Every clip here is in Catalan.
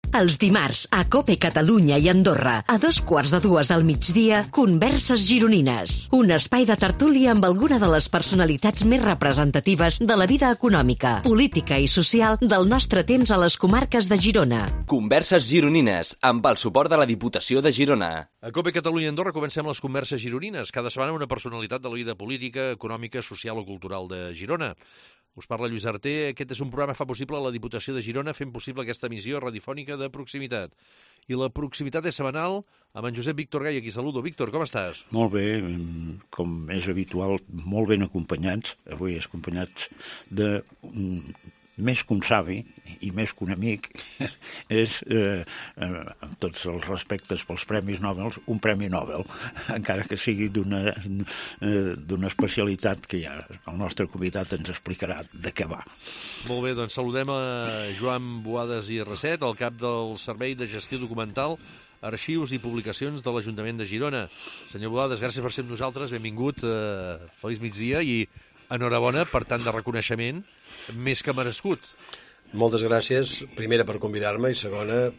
Els dimarts, a COPE Catalunya i Andorra, a 2:15 del migdia, Converses Gironines. Un espai de tertúlia amb alguna de les personalitats més representatives de la vida econòmica, política i social del nostre temps a les comarques de Girona. Converses Gironines, amb el suport de la Diputació de Girona. A COPE Catalunya i Andorra comencem les Converses Gironines. Cada setmana una personalitat de la vida política, econòmica, social o cultural de Girona. Us parla Lluís Arter. Aquest és un programa que fa possible la Diputació de Girona fent possible aquesta emissió radiofònica de proximitat. I la proximitat és setmanal amb en Josep Víctor Gai, aquí saludo. Víctor, com estàs? Molt bé, com és habitual, molt ben acompanyats. Avui acompanyats de més que un savi i més que un amic, és, amb tots els respectes pels Premis Nobel, un Premi Nobel, encara que sigui d'una especialitat que ja el nostre comitat ens explicarà de què va. Molt bé, doncs saludem a Joan Boades i Rasset, el cap del Servei de Gestió Documental, Arxius i Publicacions de l'Ajuntament de Girona. Senyor Boades, gràcies per ser amb nosaltres, benvingut, feliç migdia i enhorabona per tant de reconeixement, més que merescut. Moltes gràcies, primera per convidar-me i segona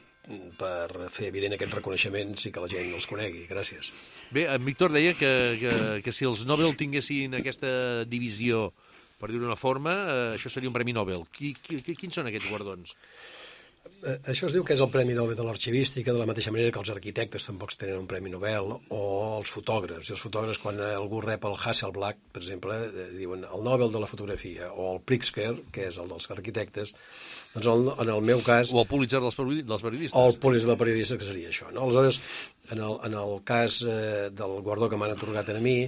per fer evident aquests reconeixements i que la gent els conegui. Gràcies. Bé, en Víctor deia que si els Nobel tinguessin aquesta divisió, per dir-ho d'una forma, això seria un Premi Nobel. Quins són aquests guardons? Això es diu que és el Premi Nobel de l'Arxivística, de la mateixa manera que els arquitectes tampoc tenen un Premi Nobel, o els fotògrafs. I els fotògrafs, quan algú rep el Hasselblad, per exemple, diuen el Nobel de la fotografia, o el Pritzker, que és el dels arquitectes, doncs en el meu cas... O el Pulitzer dels periodistes. O el Pulitzer dels periodistes, que seria això, no? Aleshores, en el cas del guardó que m'han atorgat a mi,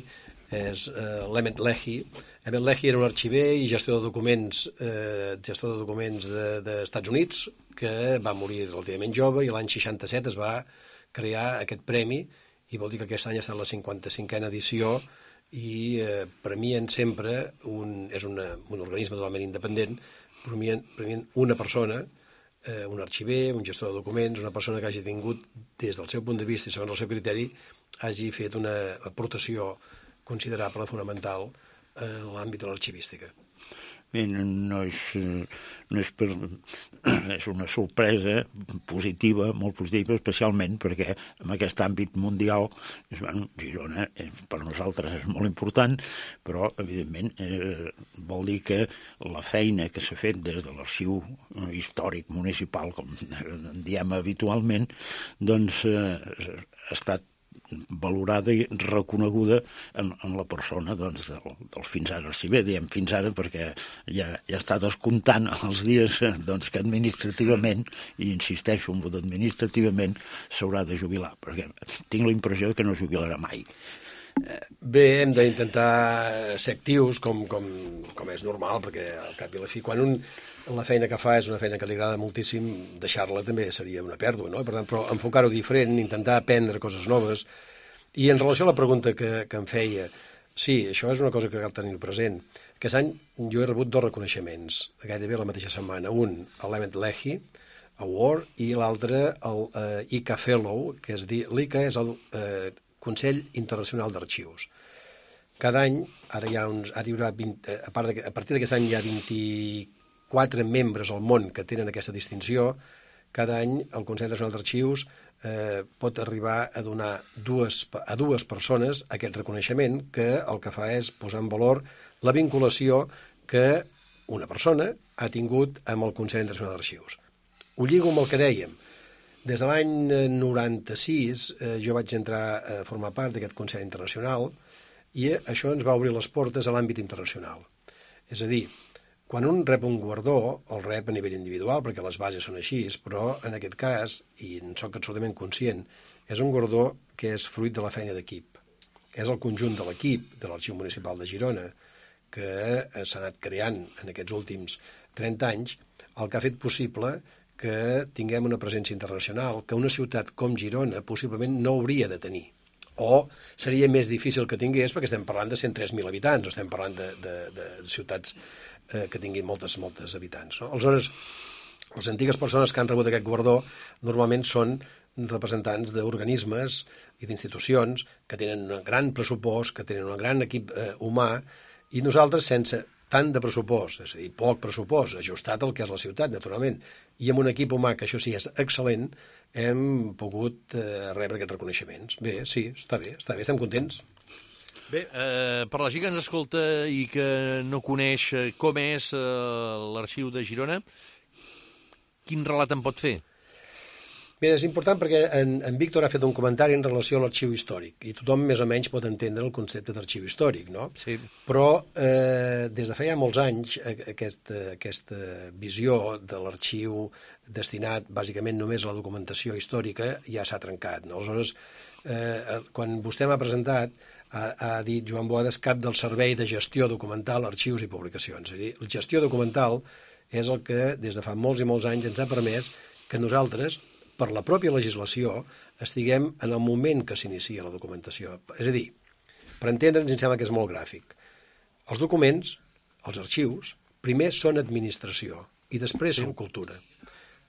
és l'Emmett Leahy. Emmett Leahy era un arxiver i gestor de documents d'Estats Units, que va morir relativament jove, i l'any 67 es va crear aquest premi, i vol dir que aquest any ha estat la 55a edició, i premien sempre, és un organisme totalment independent, premien una persona, un arxiver, un gestor de documents, una persona que hagi tingut, des del seu punt de vista i segons el seu criteri, hagi fet una aportació considerable, fonamental, en l'àmbit de l'arxivística. Bé, és una sorpresa positiva, molt positiva, especialment perquè en aquest àmbit mundial, Girona per nosaltres és molt important, però evidentment vol dir que la feina que s'ha fet des de l'arxiu històric municipal, com en diem habitualment, doncs ha estat valorada i reconeguda en la persona del fins ara arxiver. Diem fins ara perquè ja està descomptant els dies que administrativament, i insisteixo en administrativament, s'haurà de jubilar, perquè tinc la impressió que no jubilarà mai. Bé, hem d'intentar ser actius com és normal, perquè al cap i la fi, quan la feina que fa és una feina que li agrada moltíssim, deixar-la també seria una pèrdua, no? Per tant, però enfocar-ho diferent, intentar aprendre coses noves. I en relació a la pregunta que em feia, sí, això és una cosa que cal tenir present. Aquest any jo he rebut 2 reconeixements, gairebé la mateixa setmana. Un, l'Emmett Leahy Award, i l'altre, el ICA Fellow, que és dir, l'ICA és el Consell Internacional d'Arxius. Cada any, ara hi haurà 20, a partir d'aquest any hi ha 24 membres al món que tenen aquesta distinció. Cada any el Consell Nacional d'Arxius pot arribar a donar a dues persones aquest reconeixement, que el que fa és posar en valor la vinculació que una persona ha tingut amb el Consell Nacional d'Arxius. Ho lligo amb el que dèiem. Des de l'any 96 jo vaig entrar a formar part d'aquest Consell Internacional, i això ens va obrir les portes a l'àmbit internacional. És a dir, quan un rep un guardó, el rep a nivell individual, perquè les bases són així, però en aquest cas, i en soc absolutament conscient, és un guardó que és fruit de la feina d'equip. És el conjunt de l'equip de l'Arxiu Municipal de Girona, que s'ha anat creant en aquests últims 30 anys, el que ha fet possible que tinguem una presència internacional que una ciutat com Girona possiblement no hauria de tenir. O seria més difícil que tingués, perquè estem parlant de 103.000 habitants, estem parlant de ciutats que tinguin moltes habitants, no? Aleshores, les antigues persones que han rebut aquest guardó normalment són representants d'organismes i d'institucions que tenen un gran pressupost, que tenen un gran equip humà, i nosaltres, sense tant de pressupost, és a dir, poc pressupost, ajustat al que és la ciutat, naturalment, i amb un equip humà que això sí és excel·lent, hem pogut rebre aquests reconeixements. Bé, sí, està bé, estem contents. Bé, per la gent que ens escolta i que no coneix com és l'arxiu de Girona, quin relat en pot fer? Bé, és important perquè en Víctor ha fet un comentari en relació a l'arxiu històric i tothom més o menys pot entendre el concepte d'arxiu històric, no? Sí. Però des de fa ja molts anys aquesta visió de l'arxiu destinat bàsicament només a la documentació històrica ja s'ha trencat, no? Aleshores, quan vostè m'ha presentat, ha dit Joan Boades, cap del Servei de Gestió Documental, Arxius i Publicacions. És a dir, la gestió documental és el que des de fa molts i molts anys ens ha permès que nosaltres, per la pròpia legislació, estiguem en el moment que s'inicia la documentació. És a dir, per entendre'ns, em sembla que és molt gràfic. Els documents, els arxius, primer són administració i després són cultura.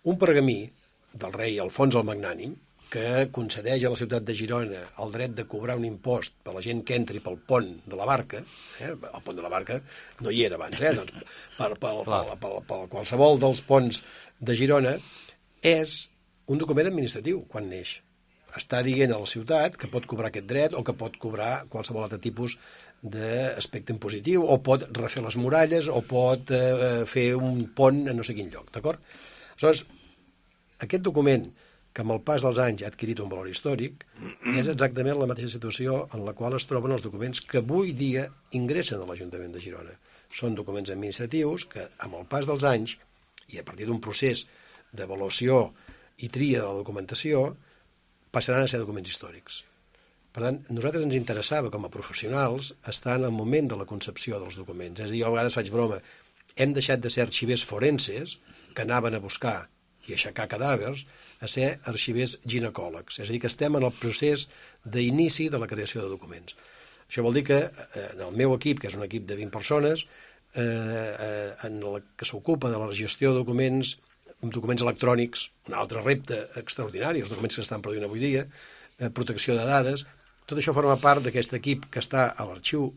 Un pergamí del rei Alfons el Magnànim, que concedeix a la ciutat de Girona el dret de cobrar un impost per la gent que entri pel pont de la Barca, el pont de la Barca no hi era abans, doncs per qualsevol dels ponts de Girona, és un document administratiu quan neix. Està dient a la ciutat que pot cobrar aquest dret o que pot cobrar qualsevol altre tipus d'aspecte impositiu o pot refer les muralles o pot fer un pont a no sé quin lloc, d'acord? Aleshores, aquest document que amb el pas dels anys ha adquirit un valor històric és exactament la mateixa situació en la qual es troben els documents que avui dia ingressen a l'Ajuntament de Girona. Són documents administratius que amb el pas dels anys i a partir d'un procés d'avaluació i tria de la documentació, passaran a ser documents històrics. Per tant, a nosaltres ens interessava, com a professionals, estar en el moment de la concepció dels documents. És a dir, jo a vegades faig broma, hem deixat de ser arxivers forenses, que anaven a buscar i aixecar cadàvers, a ser arxivers ginecòlegs. És a dir, que estem en el procés d'inici de la creació de documents. Això vol dir que en el meu equip, que és un equip de 20 persones, en el que s'ocupa de la gestió de documents electrònics, un altre repte extraordinari, els documents que estan produint avui dia, protecció de dades, tot això forma part d'aquest equip que està a l'arxiu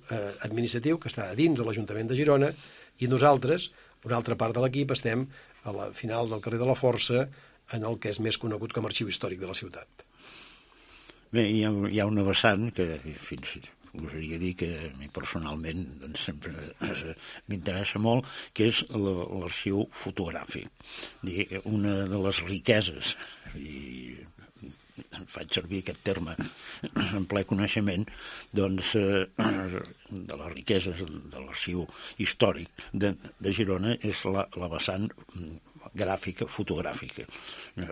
administratiu, que està a dins de l'Ajuntament de Girona, i nosaltres, una altra part de l'equip, estem a la final del carrer de la Força, en el que és més conegut com a arxiu històric de la ciutat. Bé, hi ha una vessant que fins gosaria dir que a mi personalment doncs, sempre m'interessa molt, que és l'arxiu fotogràfic. Una de les riqueses, i faig servir aquest terme en ple coneixement, doncs, de les riqueses de l'arxiu històric de Girona és la vessant gràfica, fotogràfica.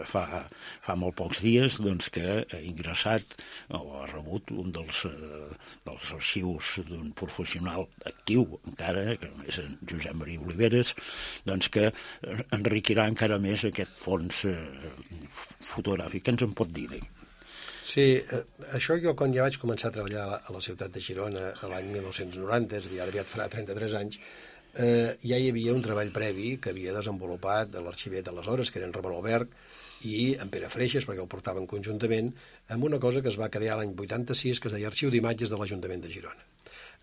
Fa molt pocs dies doncs, que ha ingressat o ha rebut un dels arxius d'un professional actiu encara, que és en Josep Maria Oliveres, doncs que enriquirà encara més aquest fons fotogràfic. Què ens en pot dir? Sí, això jo quan ja vaig començar a treballar a la ciutat de Girona l'any 1990, és a dir, ara aviat farà 33 anys, ja hi havia un treball previ que havia desenvolupat l'arxiver d'aleshores, que era en Ramon Alberg, i en Pere Freixes, perquè el portaven conjuntament, amb una cosa que es va crear l'any 86, que es deia Arxiu d'Imatges de l'Ajuntament de Girona.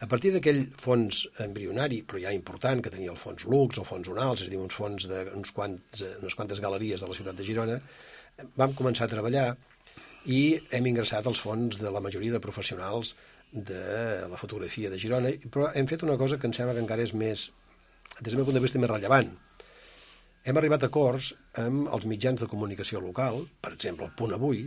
A partir d'aquell fons embrionari, però ja important, que tenia el fons Lux, el fons Unals, és a dir, uns fons d'unes quantes galeries de la ciutat de Girona, vam començar a treballar i hem ingressat els fons de la majoria de professionals de la fotografia de Girona, però hem fet una cosa que em sembla que encara és més, des del meu punt de vista, més rellevant. Hem arribat a acords amb els mitjans de comunicació local, per exemple, el Punt Avui,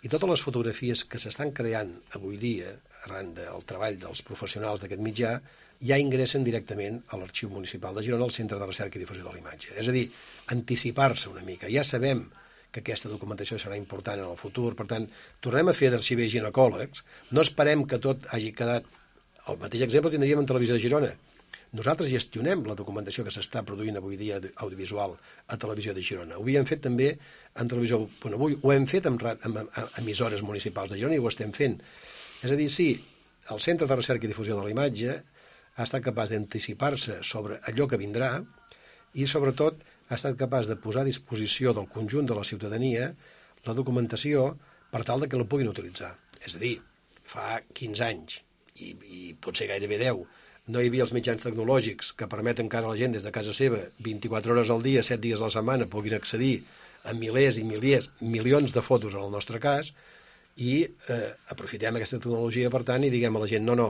i totes les fotografies que s'estan creant avui dia, arran del treball dels professionals d'aquest mitjà, ja ingressen directament a l'Arxiu Municipal de Girona, al Centre de Recerca i Difusió de l'Imatge. És a dir, anticipar-se una mica. Ja sabem que aquesta documentació serà important en el futur, per tant, tornem a fer d'arxivers ginecòlegs, no esperem que tot hagi quedat... El mateix exemple tindríem en Televisió de Girona. Nosaltres gestionem la documentació que s'està produint avui dia audiovisual a Televisió de Girona. Ho havíem fet també en Televisió Punt Avui, ho hem fet amb emissores municipals de Girona i ho estem fent. És a dir, sí, el Centre de Recerca i Difusió de la Imatge ha estat capaç d'anticipar-se sobre allò que vindrà i, sobretot, ha estat capaç de posar a disposició del conjunt de la ciutadania la documentació per tal que la puguin utilitzar. És a dir, fa 15 anys, i potser gairebé 10, no hi havia els mitjans tecnològics que permeten que ara la gent des de casa seva 24 hores al dia, 7 dies a la setmana puguin accedir a milers i milers, milions de fotos en el nostre cas, i aprofitem aquesta tecnologia, per tant, i diguem a la gent, no,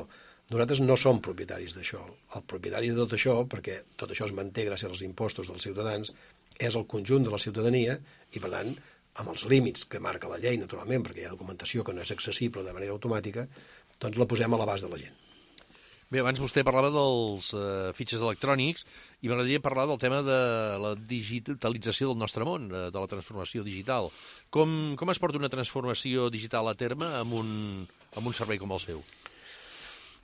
nosaltres no som propietaris d'això. El propietari de tot això, perquè tot això es manté gràcies als impostos dels ciutadans, és el conjunt de la ciutadania i, per tant, amb els límits que marca la llei, naturalment, perquè hi ha documentació que no és accessible de manera automàtica, doncs la posem a l'abast de la gent. Bé, abans vostè parlava dels fitxes electrònics i m'agradaria parlar del tema de la digitalització del nostre món, de la transformació digital. Com es porta una transformació digital a terme amb un servei com el seu?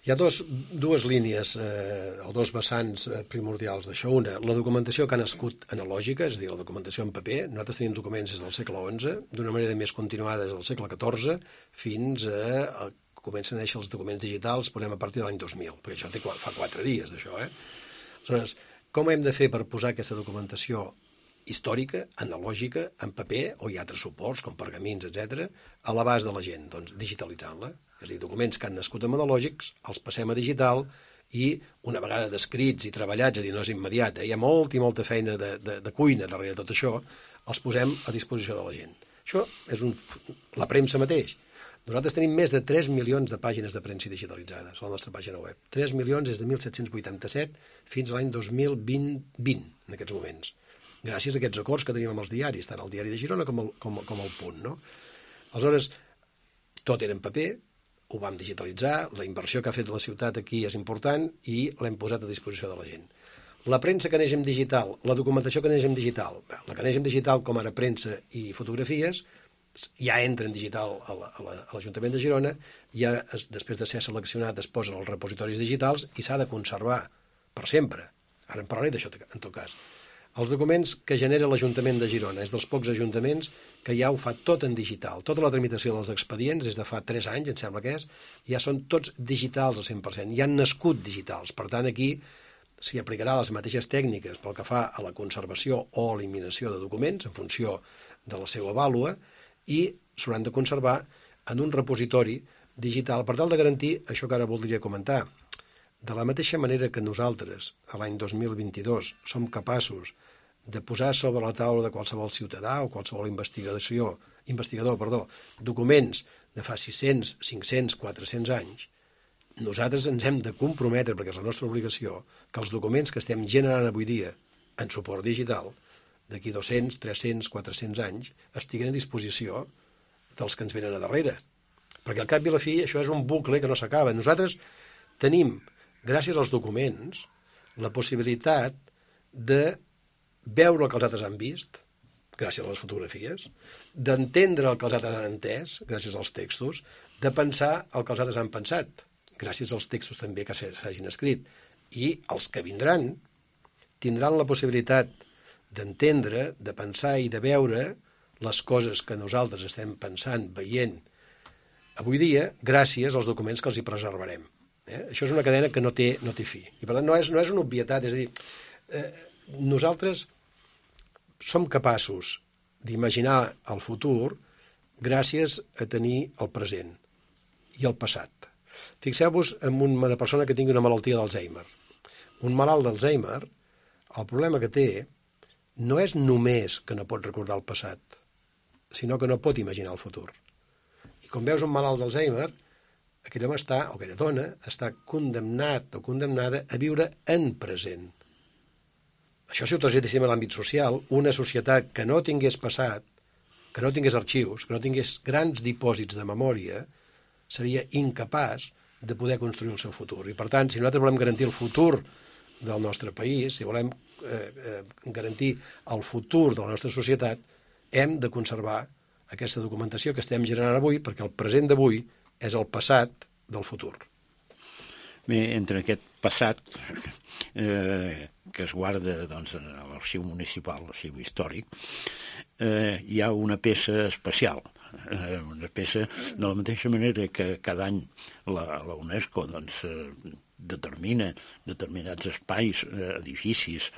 Hi ha dues línies o dos vessants primordials d'això. Una, la documentació que ha nascut analògica, és a dir, la documentació en paper. Nosaltres tenim documents des del segle XI, d'una manera més continuada des del segle XIV, fins a comencen a néixer els documents digitals, posem a partir de l'any 2000, perquè això fa 4 dies, d'això, Aleshores, com hem de fer per posar aquesta documentació històrica, analògica, en paper, o hi ha altres suports, com pergamins, etc., a l'abast de la gent? Doncs digitalitzant-la. És a dir, documents que han nascut amb analògics, els passem a digital, i una vegada descrits i treballats, és a dir, no és immediat, hi ha molta i molta feina de cuina darrere tot això, els posem a disposició de la gent. Això és la premsa mateix. Nosaltres tenim més de 3 milions de pàgines de premsa digitalitzades a la nostra pàgina web. 3 milions des de 1787 fins a l'any 2020, en aquests moments. Gràcies a aquests acords que tenim amb els diaris, tant el diari de Girona com el Punt, no? Aleshores, tot era en paper, ho vam digitalitzar, la inversió que ha fet la ciutat aquí és important i l'hem posat a disposició de la gent. La premsa que neix en digital, la documentació que neix en digital, la que neix en digital com ara premsa i fotografies, ja entra en digital a l'Ajuntament de Girona, ja després de ser seleccionat es posen als repositoris digitals i s'ha de conservar per sempre. Ara en parlaré d'això en tot cas. Els documents que genera l'Ajuntament de Girona és dels pocs ajuntaments que ja ho fa tot en digital. Tota la tramitació dels expedients des de fa 3 anys, em sembla que és, ja són tots digitals al 100%, ja han nascut digitals. Per tant, aquí s'hi aplicarà les mateixes tècniques pel que fa a la conservació o eliminació de documents en funció de la seva vàlua, i s'hauran de conservar en un repositori digital per tal de garantir això que ara voldria comentar. De la mateixa manera que nosaltres, a l'any 2022, som capaços de posar sobre la taula de qualsevol ciutadà o qualsevol investigador, documents de fa 600, 500, 400 anys, nosaltres ens hem de comprometre, perquè és la nostra obligació, que els documents que estem generant avui dia en suport digital d'aquí 200, 300, 400 anys, estiguen a disposició dels que ens venen a darrere. Perquè al cap i a la fi això és un bucle que no s'acaba. Nosaltres tenim, gràcies als documents, la possibilitat de veure el que els altres han vist, gràcies a les fotografies, d'entendre el que els altres han entès, gràcies als textos, de pensar el que els altres han pensat, gràcies als textos també que s'hagin escrit. I els que vindran tindran la possibilitat d'entendre, de pensar i de veure les coses que nosaltres estem pensant, veient avui dia, gràcies als documents que els hi preservarem. Això és una cadena que no té fi. I per tant no és una obvietat, és a dir, nosaltres som capaços d'imaginar el futur gràcies a tenir el present i el passat. Fixeu-vos en una persona que tingui una malaltia d'Alzheimer. Un malalt d'Alzheimer, el problema que té no és només que no pot recordar el passat, sinó que no pot imaginar el futur. I quan veus un malalt d'Alzheimer, aquell home o aquella dona està condemnat o condemnada a viure en present. Això, si ho traslladéssim a l'àmbit social, una societat que no tingués passat, que no tingués arxius, que no tingués grans dipòsits de memòria, seria incapaç de poder construir el seu futur. I, per tant, si nosaltres volem garantir el futur del nostre país, si volem garantir el futur de la nostra societat, hem de conservar aquesta documentació que estem generant avui, perquè el present d'avui és el passat del futur. Bé, entre aquest passat que es guarda doncs, a l'arxiu municipal, l'arxiu històric, hi ha una peça especial, una peça de la mateixa manera que cada any la UNESCO doncs, determina determinats espais, edificis,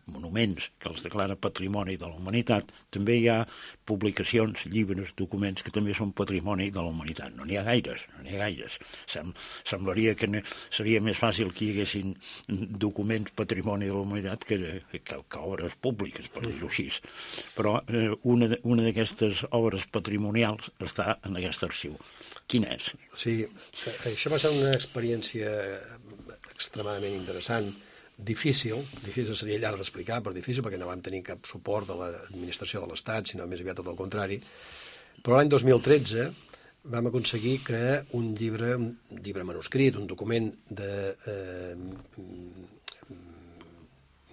monuments que els declara patrimoni de la humanitat, també hi ha publicacions, llibres, documents que també són patrimoni de la humanitat. No n'hi ha gaires. Semblaria que seria més fàcil que hi haguessin documents patrimoni de la humanitat que obres públiques, per dir-ho així. Però una d'aquestes obres patrimonials està en aquest arxiu. Quin és? Sí, això va ser una experiència extremadament interessant, difícil seria llarg d'explicar, però difícil perquè no vam tenir cap suport de l'administració de l'Estat, sinó més aviat tot el contrari. Però l'any 2013 vam aconseguir que un llibre manuscrit, un document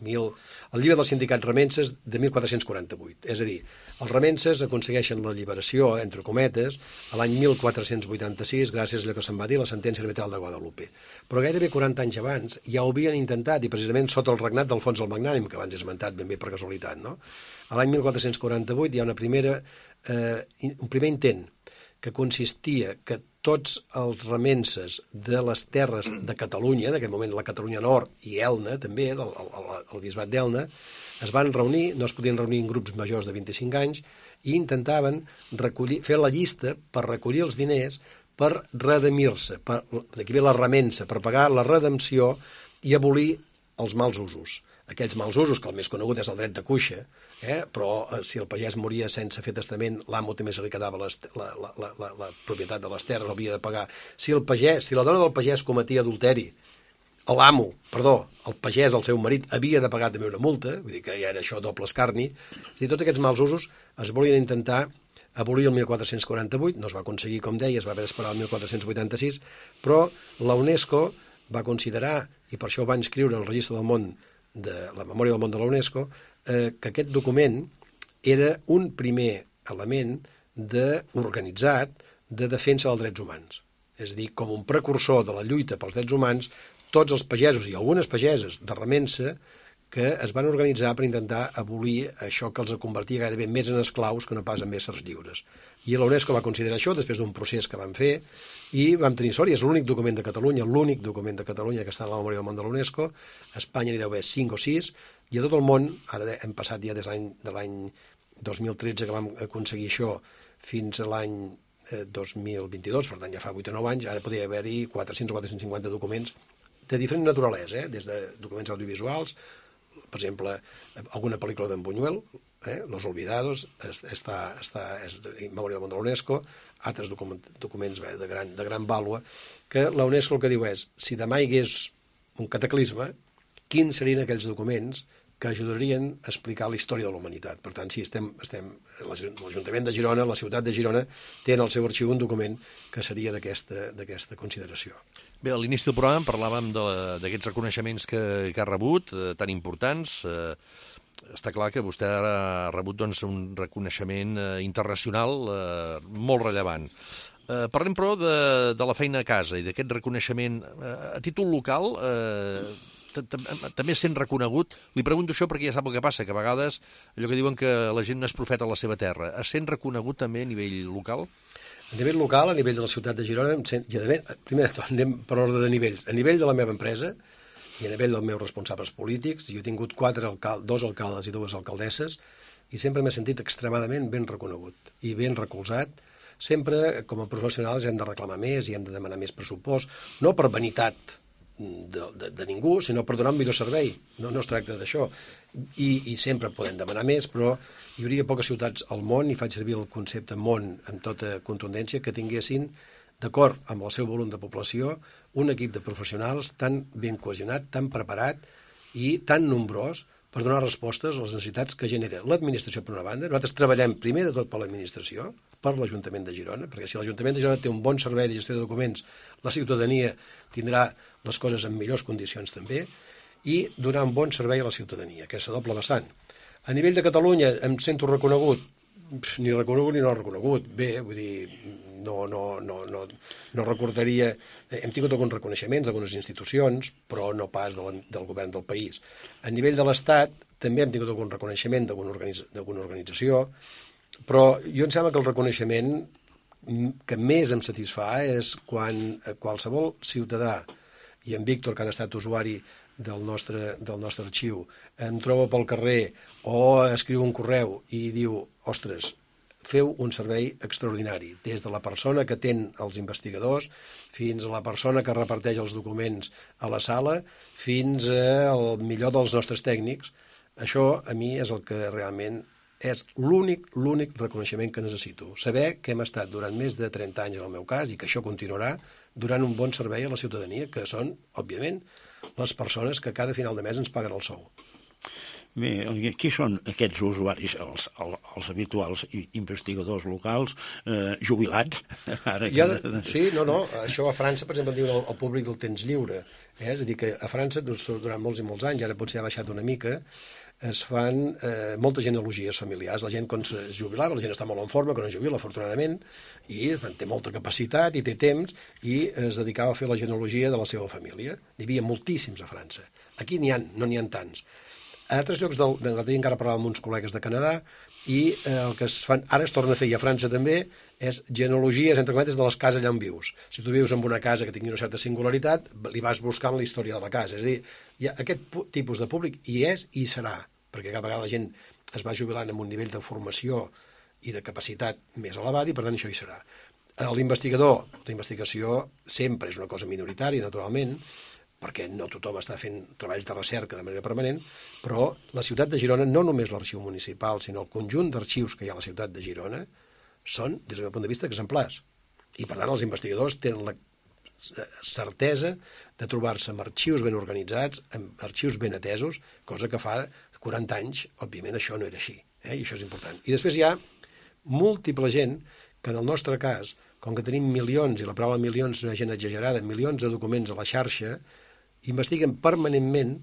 el llibre dels sindicats remenses de 1448. És a dir, els remenses aconsegueixen l'alliberació, entre cometes, a l'any 1486, gràcies a allò que se'n va dir la sentència arbitral de Guadalupe. Però gairebé 40 anys abans ja ho havien intentat, i precisament sota el regnat d'Alfons el Magnànim, que abans he esmentat ben bé per casualitat, no? A l'any 1448 hi ha un primer intent que consistia que tots els remenses de les terres de Catalunya, en aquell moment la Catalunya Nord i Elna, també, el bisbat d'Elna, es van reunir, no es podien reunir en grups majors de 25 anys, i intentaven fer la llista per recollir els diners per redimir-se, d'aquí ve la remensa, per pagar la redempció i abolir els mals usos. Aquells mals usos, que el més conegut és el dret de cuixa, però si el pagès moria sense fer testament, l'amo també se li quedava la propietat de les terres, havia de pagar. Si la dona del pagès cometia adulteri, el pagès, el seu marit, havia de pagar també una multa, vull dir que ja era això doble escarni. És a dir, tots aquests mals usos es volien intentar abolir el 1448, no es va aconseguir, com deia, es va haver d'esperar el 1486, però la UNESCO va considerar, i per això ho va inscriure en el Registre del Món, de la Memòria del Món de la UNESCO, que aquest document era un primer element organitzat de defensa dels drets humans. És a dir, com un precursor de la lluita pels drets humans, tots els pagesos i algunes pageses de remensa que es van organitzar per intentar abolir això que els convertia gairebé més en esclaus que no pas en éssers lliures. I la UNESCO va considerar això després d'un procés que van fer i vam tenir sort, i és l'únic document de Catalunya, que està en la Memòria del Món de la UNESCO. A Espanya n'hi deu haver 5 o 6, i a tot el món, ara hem passat ja des de l'any 2013 que vam aconseguir això fins a l'any 2022, per tant ja fa 8 o 9 anys, ara podria haver-hi 400 o 450 documents de diferent naturalesa, des de documents audiovisuals, per exemple, alguna pel·lícula d'en Buñuel, Los Olvidados, és Memòria del Món de la UNESCO, altres documents de gran vàlua, que la UNESCO el que diu és, si demà hi hagués un cataclisme, quins serien aquells documents que ajudarien a explicar la història de la humanitat. Per tant, sí, l'Ajuntament de Girona, la ciutat de Girona, té en el seu arxiu un document que seria d'aquesta consideració. Bé, a l'inici del programa parlàvem d'aquests reconeixements que ha rebut, tan importants. Està clar que vostè ha rebut un reconeixement internacional molt rellevant. Parlem, però, de la feina a casa i d'aquest reconeixement a títol local. També sent reconegut. Li pregunto això perquè ja sap el que passa, que a vegades allò que diuen que la gent no és profeta a la seva terra. Es sent reconegut també a nivell local? A nivell local, a nivell de la ciutat de Girona, primer de tot, anem per ordre de nivells. A nivell de la meva empresa i a nivell dels meus responsables polítics, jo he tingut 2 alcaldes i 2 alcaldesses, i sempre m'he sentit extremadament ben reconegut i ben recolzat. Sempre, com a professionals, hem de reclamar més i hem de demanar més pressupost, no per vanitat de ningú, sinó per donar un millor servei. No es tracta d'això. I sempre podem demanar més, però hi hauria poques ciutats al món, i faig servir el concepte món amb tota contundència, que tinguessin, d'acord amb el seu volum de població, un equip de professionals tan ben cohesionat, tan preparat i tan nombrós per donar respostes a les necessitats que genera l'administració per una banda. Nosaltres treballem primer de tot per l'administració, per l'Ajuntament de Girona, perquè si l'Ajuntament de Girona té un bon servei de gestió de documents, la ciutadania tindrà les coses en millors condicions també, i donar un bon servei a la ciutadania, que és a doble vessant. A nivell de Catalunya em sento reconegut, ni reconegut ni no reconegut. Bé, vull dir, no recordaria... Hem tingut alguns reconeixements d'algunes institucions, però no pas del govern del país. A nivell de l'Estat també hem tingut algun reconeixement d'alguna organització, però jo em sembla que el reconeixement que més em satisfà és quan qualsevol ciutadà, i en Víctor, que han estat usuari del nostre arxiu, em troba pel carrer o escriu un correu i diu, ostres, feu un servei extraordinari, des de la persona que atén els investigadors fins a la persona que reparteix els documents a la sala fins al millor dels nostres tècnics. Això a mi és el que realment és l'únic reconeixement que necessito. Saber que hem estat durant més de 30 anys en el meu cas i que això continuarà donant un bon servei a la ciutadania, que són, òbviament, les persones que cada final de mes ens paguen el sou. Bé, qui són aquests usuaris, els habituals investigadors locals, jubilats? Sí, no, això a França, per exemple, diuen el públic del temps lliure. És a dir, que a França, durant molts i molts anys, ara potser ha baixat una mica, es fan moltes genealogies familiars. La gent, quan es jubilava, la gent està molt en forma, quan es jubila, afortunadament, i té molta capacitat i té temps, i es dedicava a fer la genealogia de la seva família. N'hi havia moltíssims a França. Aquí no n'hi ha tants. A altres llocs d'Anglaterra encara parlàvem amb uns col·legues de Canadà i el que es fan, ara es torna a fer, i a França també, és genealogies, entre cometes, de les cases allà on vius. Si tu vius en una casa que tingui una certa singularitat, li vas buscant la història de la casa. És a dir, hi ha aquest tipus de públic hi és i serà, perquè cada vegada la gent es va jubilant amb un nivell de formació i de capacitat més elevat i, per tant, això hi serà. L'investigador, la investigació sempre és una cosa minoritària, naturalment, perquè no tothom està fent treballs de recerca de manera permanent, però la ciutat de Girona, no només l'arxiu municipal, sinó el conjunt d'arxius que hi ha a la ciutat de Girona, són, des del meu punt de vista, exemplars. I, per tant, els investigadors tenen la certesa de trobar-se amb arxius ben organitzats, amb arxius ben atesos, cosa que fa 40 anys, òbviament, això no era així, i això és important. I després hi ha múltiple gent que, en el nostre cas, com que tenim milions, i la paraula milions és una gent exagerada, milions de documents a la xarxa, investiguen permanentment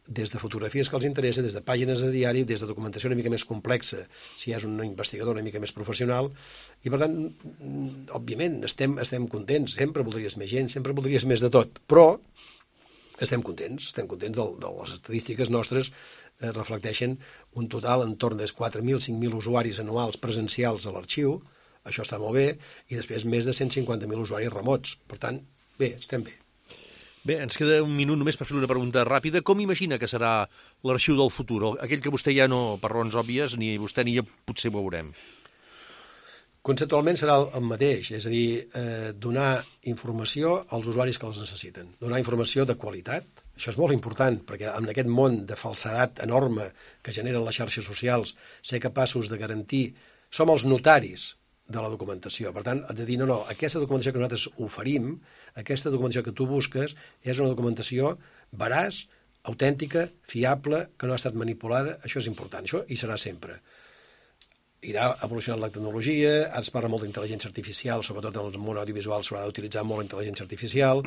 des de fotografies que els interessa, des de pàgines de diari, des de documentació una mica més complexa, si és un investigador una mica més professional, i per tant, òbviament, estem contents, sempre voldries més gent, sempre voldries més de tot, però estem contents de les estadístiques nostres reflecteixen un total entorn de 4.000, 5.000 usuaris anuals presencials a l'arxiu, això està molt bé, i després més de 150.000 usuaris remots. Per tant, bé, estem bé. Bé, ens queda un minut només per fer una pregunta ràpida. Com imagina que serà l'arxiu del futur? Aquell que vostè ja no, per raons òbvies, ni vostè ni jo potser veurem. Conceptualment serà el mateix, és a dir, donar informació als usuaris que els necessiten. Donar informació de qualitat. Això és molt important, perquè en aquest món de falsedat enorme que generen les xarxes socials, ser capaços de garantir... Som els notaris de la documentació. Per tant, de dir, no, aquesta documentació que nosaltres oferim, aquesta documentació que tu busques, és una documentació veraç, autèntica, fiable, que no ha estat manipulada. Això és important, això hi serà sempre. Irà evolucionant la tecnologia, ara es parla molt d'intel·ligència artificial, sobretot en el món audiovisual s'haurà d'utilitzar molt la intel·ligència artificial,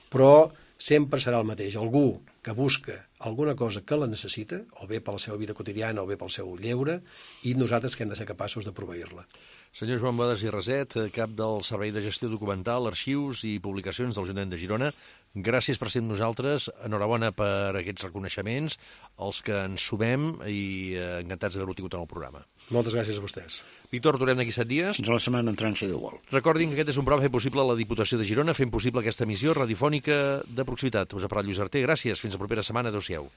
però sempre serà el mateix. Algú que busca alguna cosa que la necessita, o bé per la seva vida quotidiana o bé pel seu lleure, i nosaltres que hem de ser capaços de proveir-la. Senyor Joan Boades i Raset, cap del Servei de Gestió Documental, Arxius i Publicacions de l'Ajuntament de Girona, gràcies per ser amb nosaltres, enhorabona per aquests reconeixements, els que ens sumem i encantats d'haver-ho tingut en el programa. Moltes gràcies a vostès. Víctor, tornem d'aquí 7 dies. Fins a la setmana entrant, si Déu vol. Recordin que aquest és un programa fet possible a la Diputació de Girona, fent possible aquesta emissió radiofònica de proximitat. Us ha parlat Lluís Arter, gràcies, fins la propera setmana, adéu-siau.